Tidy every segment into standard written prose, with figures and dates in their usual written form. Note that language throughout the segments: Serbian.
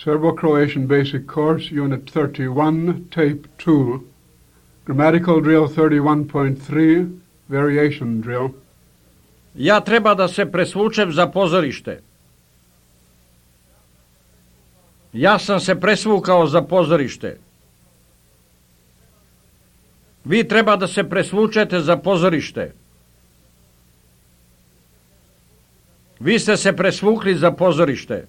Serbo-Croatian Basic Course, Unit 31, Tape 2, Grammatical Drill 31.3, Variation Drill. Ja treba da se presvučem za pozorište. Ja sam se presvukao za pozorište. Vi treba da se presvučete za pozorište. Vi ste se presvukli za pozorište.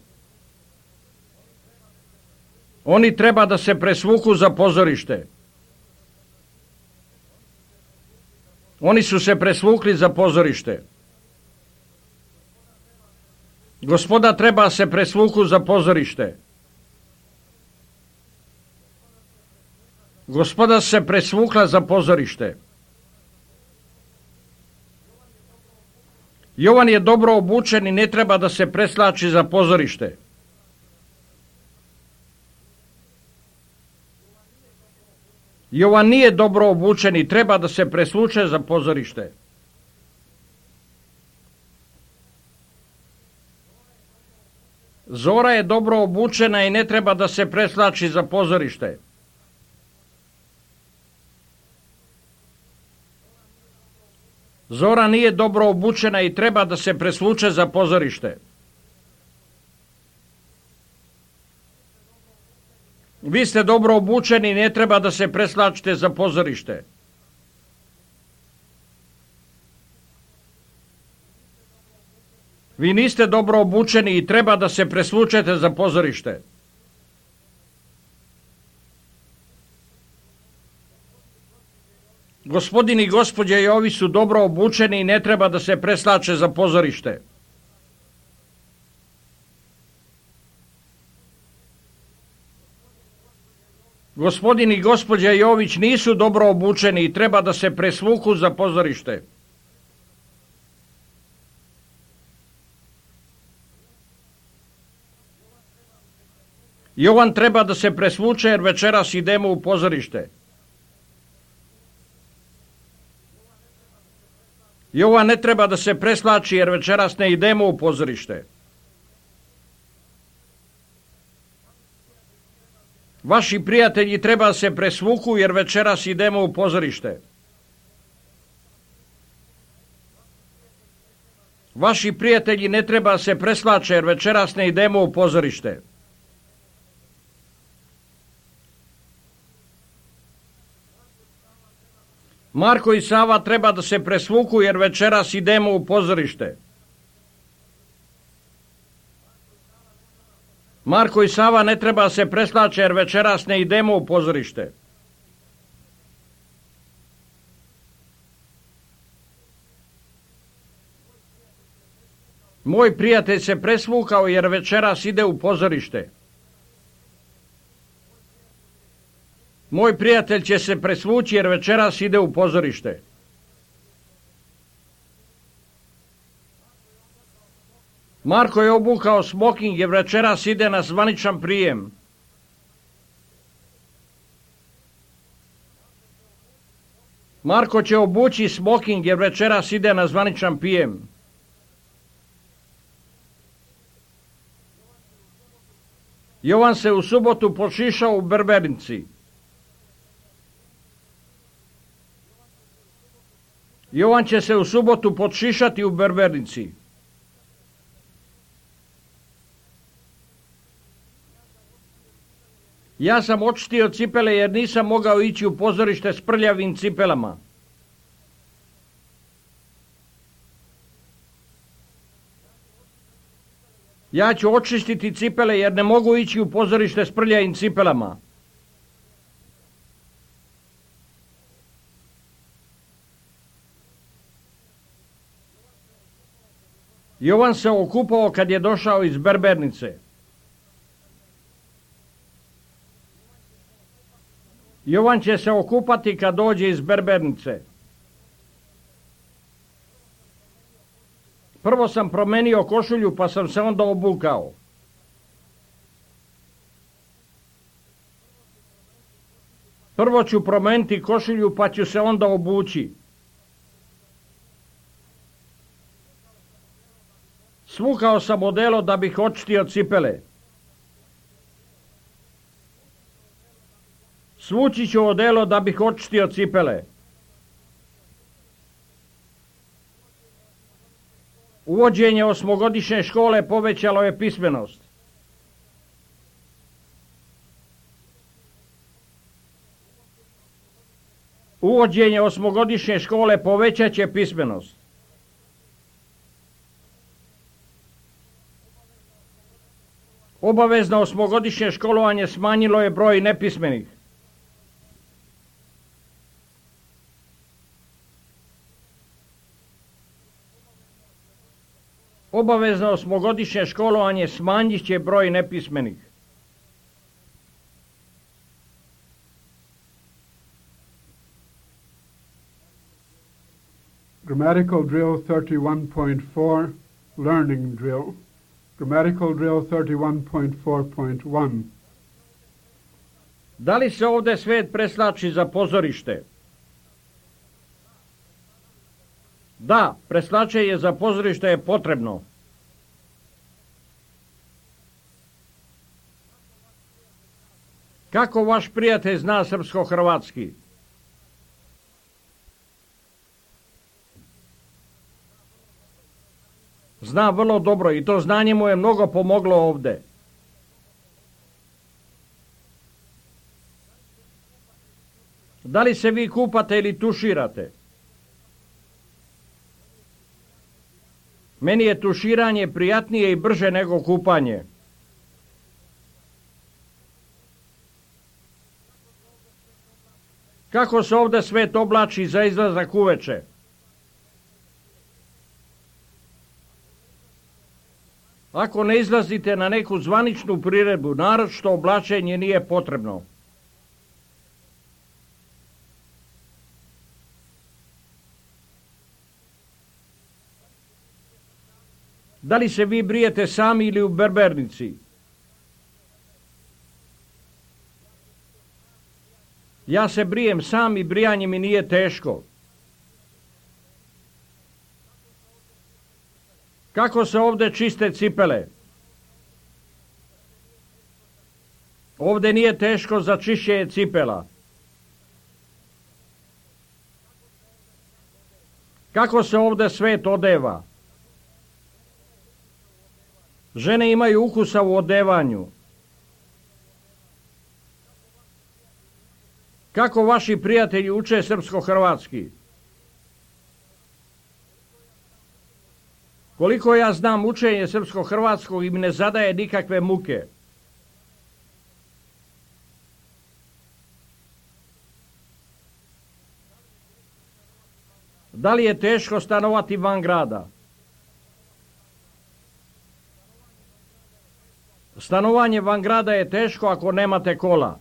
Oni treba da se presvuku za pozorište. Oni su se presvukli za pozorište. Gospoda treba se presvuku za pozorište. Gospoda se presvukla za pozorište. Jovan je dobro obučen i ne treba da se preslači za pozorište. Jovan nije dobro obučen i treba da se presvuče za pozorište. Zora je dobro obučena i ne treba da se preslači za pozorište. Zora nije dobro obučena i treba da se presvuče za pozorište. Vi ste dobro obučeni i ne treba da se preslačite za pozorište. Vi niste dobro obučeni i treba da se presvučete za pozorište. Gospodin i gospođe Jovi su dobro obučeni i ne treba da se preslače za pozorište. Gospodin i gospođa Jović nisu dobro obučeni i treba da se presvuku za pozorište. Jovan treba da se presvuče jer večeras idemo u pozorište. Jovan ne treba da se preslači jer večeras ne idemo u pozorište. Vaši prijatelji treba da se presvuku jer večeras idemo u pozorište. Vaši prijatelji ne treba da se preslače jer večeras ne idemo u pozorište. Marko i Sava treba da se presvuku jer večeras idemo u pozorište. Marko i Sava ne treba da se preslače jer večeras ne idemo u pozorište. Moj prijatelj se presvukao jer večeras ide u pozorište. Moj prijatelj će se presvući jer večeras ide u pozorište. Marko je obukao smoking jer večeras ide na zvaničan prijem. Marko će obući smoking jer večeras ide na zvaničan prijem. Jovan se u subotu pošišao u berbernici. Jovan će se u subotu podšišati u berbernici. Ja sam očistio cipele jer nisam mogao ići u pozorište s prljavim cipelama. Ja ću očistiti cipele jer ne mogu ići u pozorište s prljavim cipelama. Jovan se okupao kad je došao iz berbernice. Jovan će se okupati kad dođe iz berbernice. Prvo sam promenio košulju pa sam se onda obukao. Prvo ću promeniti košulju pa ću se onda obući. Svukao sam odelo da bih očistio cipele. Svući ću odelo da bih očistio cipele. Uvođenje osmogodišnje škole povećalo je pismenost. Uvođenje osmogodišnje škole povećat će pismenost. Obavezno osmogodišnje školovanje smanjilo je broj nepismenih. Obavezno osmogodišnje školovanje smanjit će broj nepismenih. Grammatical drill 31.4, learning drill. Grammatical drill 31.4.1. Da li se ovdje svet preslači za pozorište? Da, preslačenje za pozorište je potrebno. Kako vaš prijatelj zna srpsko-hrvatski? Zna vrlo dobro i to znanje mu je mnogo pomoglo ovdje. Da li se vi kupate ili tuširate? Meni je tuširanje prijatnije i brže nego kupanje. Kako se ovdje svet oblači za izlazak uveče? Ako ne izlazite na neku zvaničnu priredbu, naročito oblačenje nije potrebno. Da li se vi brijete sami ili u berbernici? Ja se brijem sam i brijanje mi nije teško. Kako se ovdje čiste cipele? Ovdje nije teško za čišćenje cipela. Kako se ovdje svet odeva? Žene imaju ukusa u odevanju. Kako vaši prijatelji uče srpsko-hrvatski? Koliko ja znam, učenje srpsko-hrvatskog im ne zadaje nikakve muke. Da li je teško stanovati van grada? Stanovanje van grada je teško ako nemate kola.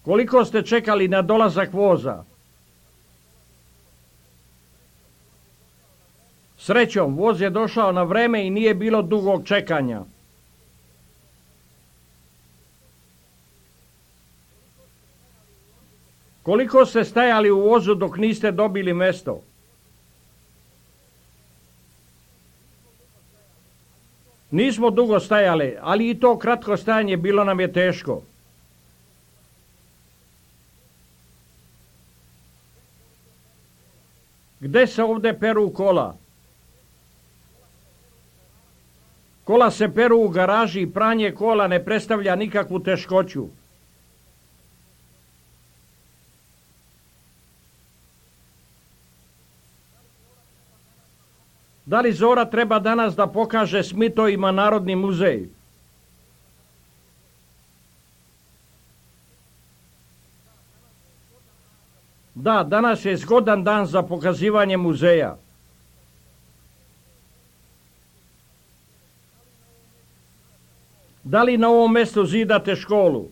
Koliko ste čekali na dolazak voza? Srećom, voz je došao na vreme i nije bilo dugog čekanja. Koliko ste stajali u vozu dok niste dobili mesto? Nismo dugo stajali, ali i to kratko stajanje bilo nam je teško. Gde se ovdje peru kola? Kola se peru u garaži i pranje kola ne predstavlja nikakvu teškoću. Da li Zora treba danas da pokaže Smitovima Narodni muzej? Da, danas je zgodan dan za pokazivanje muzeja. Da li na ovom mjestu zidate školu?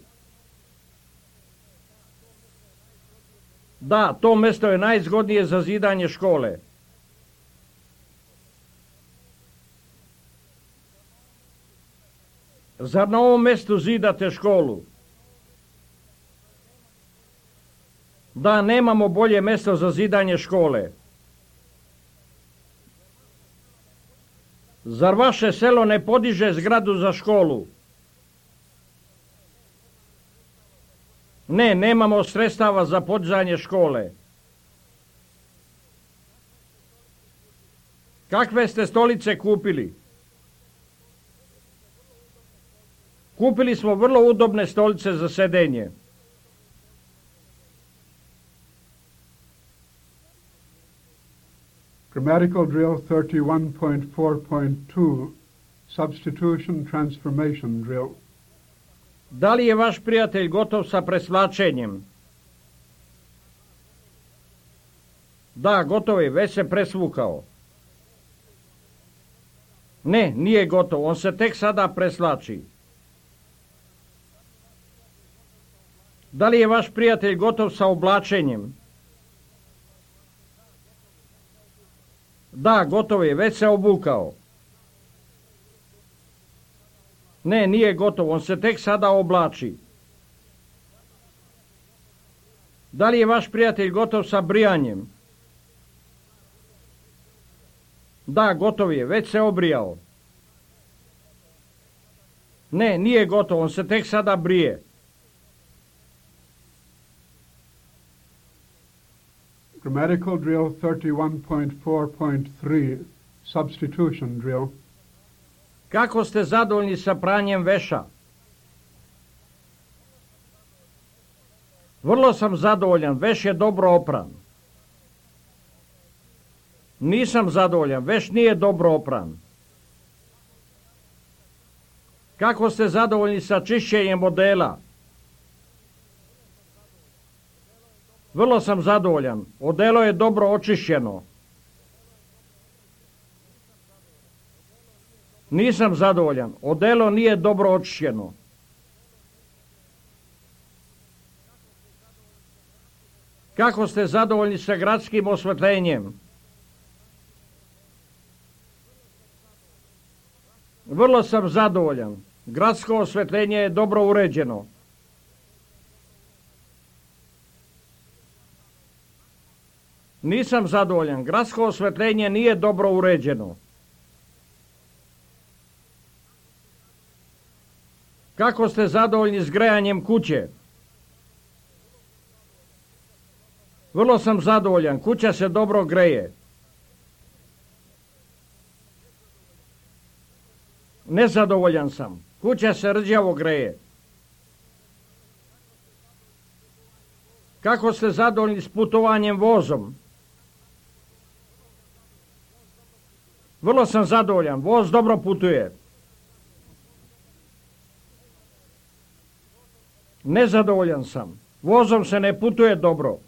Da, to mjesto je najzgodnije za zidanje škole. Zar na ovom mjestu zidate školu? Da, nemamo bolje mjesto za zidanje škole. Zar vaše selo ne podiže zgradu za školu? Ne, nemamo sredstava za podizanje škole. Kakve ste stolice kupili? Kupili smo vrlo udobne stolice za sedenje. Grammatical drill 31.4.2, substitution transformation drill. Da li je vaš prijatelj gotov sa presvlačenjem? Da, gotov je, već se presvukao. Ne, nije gotov, on se tek sada preslači. Da li je vaš prijatelj gotov sa oblačenjem? Da, gotov je, već se obukao. Ne, nije gotov, on se tek sada oblači. Da li je vaš prijatelj gotov sa brijanjem? Da, gotov je, već se obrijao. Ne, nije gotov, on se tek sada brije. Grammatical drill 31.4.3, substitution drill. Kako ste zadovoljni sa pranjem veša? Vrlo sam zadovoljan, veš je dobro opran. Nisam zadovoljan, veš nije dobro opran. Kako ste zadovoljni sa čišćenjem odela? Vrlo sam zadovoljan, odelo je dobro očišćeno. Nisam zadovoljan, odelo nije dobro očišćeno. Kako ste zadovoljni sa gradskim osvetljenjem? Vrlo sam zadovoljan, gradsko osvetljenje je dobro uređeno. Nisam zadovoljan, gradsko osvetljenje nije dobro uređeno. Kako ste zadovoljni s grejanjem kuće? Vrlo sam zadovoljan, kuća se dobro greje. Nezadovoljan sam, kuća se rđavo greje. Kako ste zadovoljni s putovanjem vozom? Vrlo sam zadovoljan, voz dobro putuje. Nezadovoljan sam, vozom se ne putuje dobro.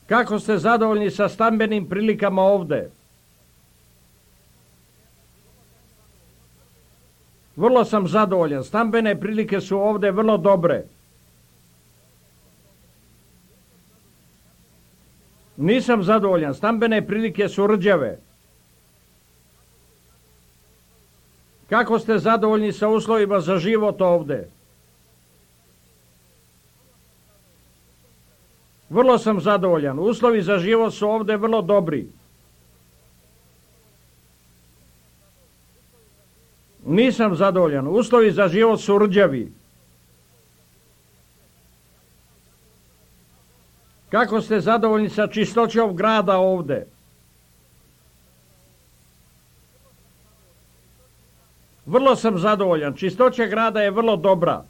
Kako ste zadovoljni sa stambenim prilikama ovde? Vrlo sam zadovoljan, stambene prilike su ovde vrlo dobre. Nisam zadovoljan, stambene prilike su rđave. Kako ste zadovoljni sa uslovima za život ovde? Vrlo sam zadovoljan, uslovi za život su ovde vrlo dobri. Nisam zadovoljan, uslovi za život su rđavi. Kako ste zadovoljni sa čistoćom grada ovde? Vrlo sam zadovoljan, čistoća grada je vrlo dobra.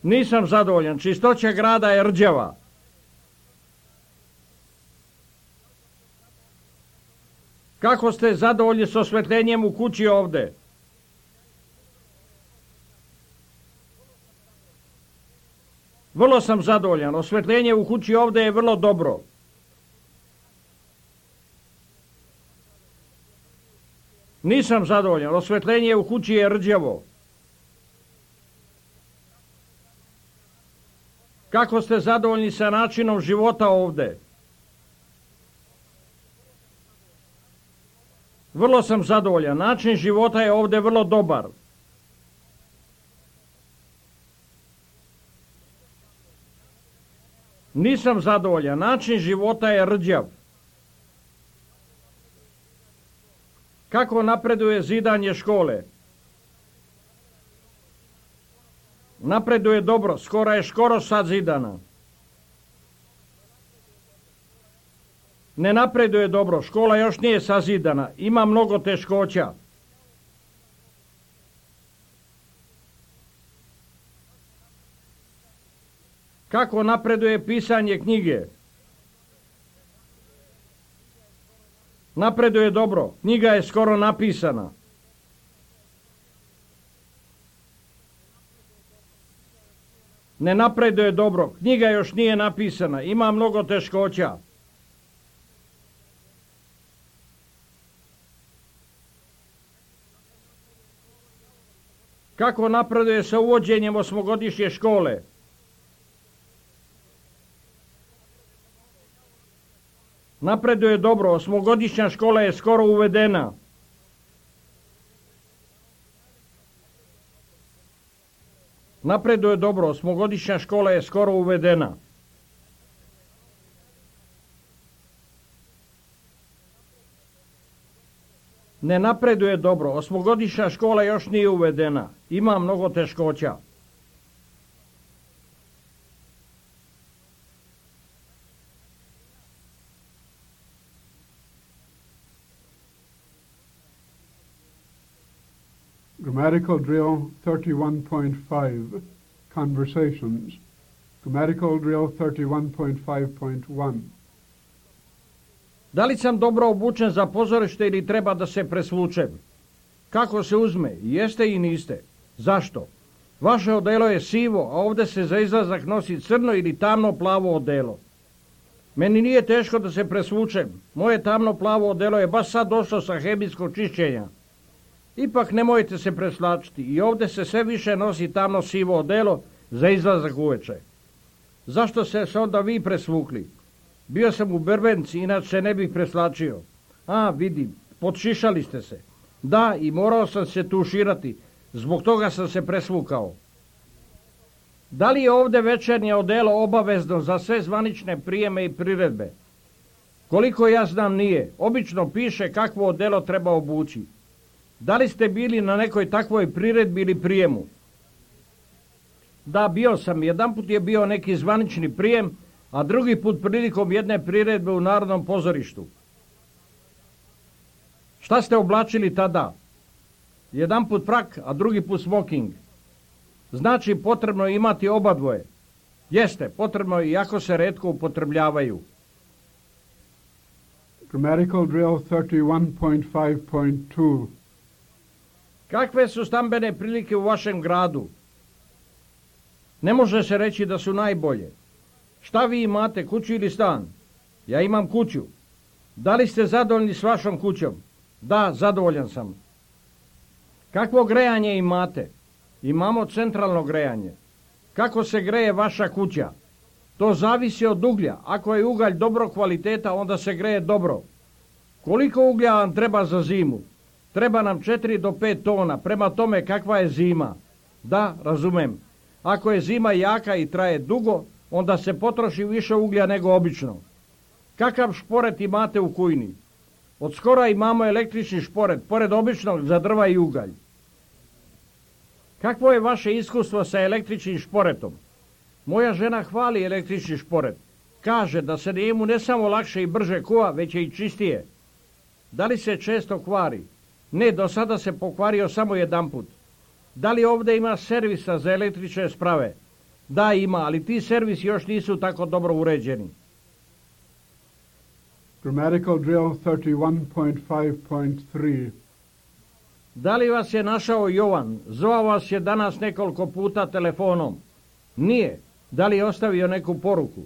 Nisam zadovoljan, čistoća grada je rđava. Kako ste zadovoljni s osvetljenjem u kući ovde? Vrlo sam zadovoljan, osvetljenje u kući ovde je vrlo dobro. Nisam zadovoljan, osvetljenje u kući je rđavo. Kako ste zadovoljni sa načinom života ovde? Vrlo sam zadovoljan, način života je ovde vrlo dobar. Nisam zadovoljan, način života je rđav. Kako napreduje zidanje škole? Napreduje dobro, skoro sazidana. Ne napreduje dobro, škola još nije sazidana, ima mnogo teškoća. Kako napreduje pisanje knjige? Napreduje dobro, knjiga je skoro napisana. Ne napreduje dobro, knjiga još nije napisana, ima mnogo teškoća. Kako napreduje sa uvođenjem osmogodišnje škole? Napreduje dobro, osmogodišnja škola je skoro uvedena. Napreduje dobro, osmogodišnja škola je skoro uvedena. Ne napreduje dobro, osmogodišnja škola još nije uvedena, ima mnogo teškoća. Grammatical drill 31.5, conversations. Grammatical drill 31.5.1. Da li sam dobro obučen za pozorište ili treba da se presvučem? Kako se uzme? Jeste i niste. Zašto? Vaše odelo je sivo, a ovdje se za izlazak nosi crno ili tamno plavo odelo. Meni nije teško da se presvučem. Moje tamno plavo odelo je baš sad došlo sa hemijskog čišćenja. Ipak nemojte se preslačiti. I ovdje se sve više nosi tamno sivo odelo za izlazak uveče. Zašto ste se onda vi presvukli? Bio sam u berbenci, inače se ne bih preslačio. A, vidim, podšišali ste se. Da, i morao sam se tuširati. Zbog toga sam se presvukao. Da li je ovdje večernje odelo obavezno za sve zvanične prijeme i priredbe? Koliko ja znam nije. Obično piše kakvo odelo treba obući. Da li ste bili na nekoj takvoj priredbi ili prijemu? Da, bio sam. Jedanput je bio neki zvanični prijem, a drugi put prilikom jedne priredbe u Narodnom pozorištu. Šta ste oblačili tada? Jedan put frak, a drugi put smoking. Znači potrebno je imati oba dvoje. Jeste, potrebno je, iako se retko upotrebljavaju. Grammatical drill 31.5.2. Kakve su stambene prilike u vašem gradu? Ne može se reći da su najbolje. Šta vi imate, kuću ili stan? Ja imam kuću. Da li ste zadovoljni s vašom kućom? Da, zadovoljan sam. Kakvo grejanje imate? Imamo centralno grejanje. Kako se greje vaša kuća? To zavisi od uglja. Ako je ugalj dobro kvaliteta, onda se greje dobro. Koliko uglja vam treba za zimu? Treba nam 4 do 5 tona, prema tome kakva je zima. Da, razumem. Ako je zima jaka i traje dugo, onda se potroši više uglja nego obično. Kakav šporet imate u kujni? Od skora imamo električni šporet, pored običnog za drva i ugalj. Kakvo je vaše iskustvo sa električnim šporetom? Moja žena hvali električni šporet. Kaže da se njemu ne samo lakše i brže kuva, već i čistije. Da li se često kvari? Ne, do sada se pokvario samo jedanput. Da li ovdje ima servisa za električne sprave? Da, ima, ali ti servisi još nisu tako dobro uređeni. Grammatical drill 31.5.3. Da li vas je našao Jovan? Zvao vas je danas nekoliko puta telefonom. Nije. Da li je ostavio neku poruku?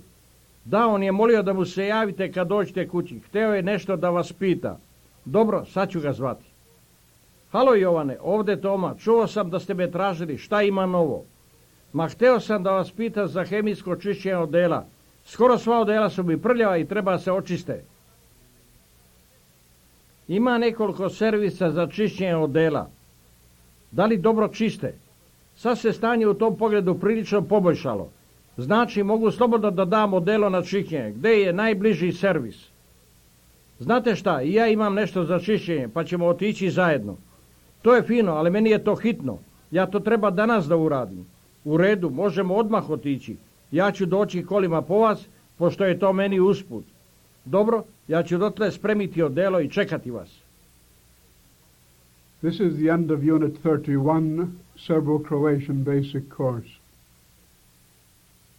Da, on je molio da mu se javite kad dođete kući. Hteo je nešto da vas pita. Dobro, sad ću ga zvati. Halo Jovane, ovdje Toma. Čuo sam da ste me tražili. Šta ima novo? Ma hteo sam da vas pitam za hemijsko čišćenje odela. Skoro sva odela su mi prljava i treba se očiste. Ima nekoliko servisa za čišćenje odela. Da li dobro čiste? Sad se stanje u tom pogledu prilično poboljšalo. Znači, mogu slobodno da dam odelo na čišćenje. Gde je najbliži servis? Znate šta, i ja imam nešto za čišćenje, pa ćemo otići zajedno. To je fino, ali meni je to hitno. Ja to treba danas da uradim. U redu, možemo odmah otići. Ja ću doći kolima po vas, pošto je to meni usput. Dobro, ja ću dotle spremiti odelo i čekati vas. This is the end of Unit 31, Serbo-Croatian Basic Course.